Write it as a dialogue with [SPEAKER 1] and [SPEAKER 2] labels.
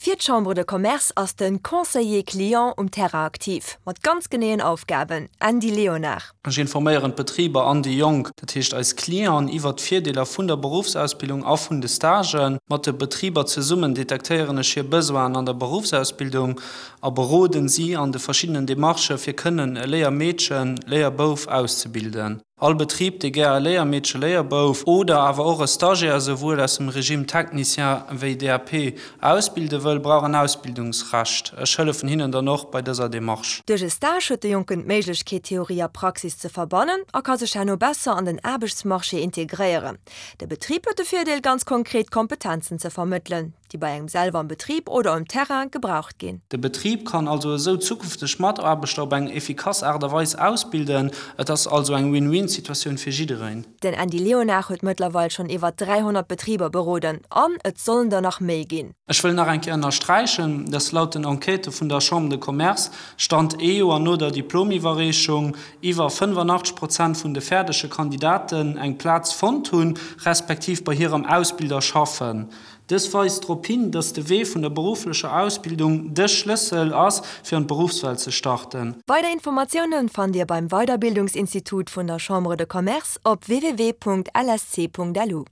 [SPEAKER 1] Fir d'Chambre de Commerce ass de Conseiller Client um Terrain aktiv, mat ganz geneeën Aufgaben. Andy Léonard.
[SPEAKER 2] Ech informéieren d'Betriber an déi Jonk, dat heescht eis Clienten, iwwert d'Virdeeler vun der Beruffsausbildung a vun de Stagen. Mat de Betriber zesummen detektéieren ech hir Besoinen an der Beruffsausbildung a beroden si an de verschiddenen Demarchë fir kënnen e Léiermeedchen, Léierbouf auszebilden. All Betrib, dee gär e Léiermeedche, Léierbouf oder awer och e Stagiaire souwuel aus dem Regime Technicien wéi DAP ausbilde wëll, brauch en Ausbildungsrecht. Ech hëllefen hinnen dann och bei dëser Demarche.
[SPEAKER 1] Duerch e Stage huet de Jonken d'Méiglechkeet, Theorie a Praxis ze verbannen a ka sech herno besser an den Aarbechtsmarché integréieren. De Betrib huet de Virdeel, ganz konkret Kompetenzen ze vermëttelen. déi bei engem selwer am Betrib oder um Terrain gebraucht ginn.
[SPEAKER 2] De Betrib kann also esou zukünfteg Mataarbechter op eng efficace Aart a Weis ausbilden. Et ass also eng Win-Win-Situatioun fir jiddereen.
[SPEAKER 1] Den Andy Léonard huet mëttlerweil schonn iwwer 300 Betriber beroden an et sollen der nach méi ginn.
[SPEAKER 2] Ech wëll nach eng Kéier ënnersträichen, dass laut den Enquêtë vun der Chambre de Commerce, Stand ee Joer no der Diplomiwwerreechung, iwwer 85 Prozent vun de fäerdege Kandidaten eng Plaz fonnt hunn, respektiv bei hirem Ausbilder schaffen. Dës weist drop hin, dass de Wee vun der berufflecher Ausbildung de Schlëssel ass, fir an d'Beruffswelt ze starten.
[SPEAKER 1] Weider Informatiounen fannt Dir beim Weiderbildungsinstitut vun der Chambre de Commerce op www.lsc.lu.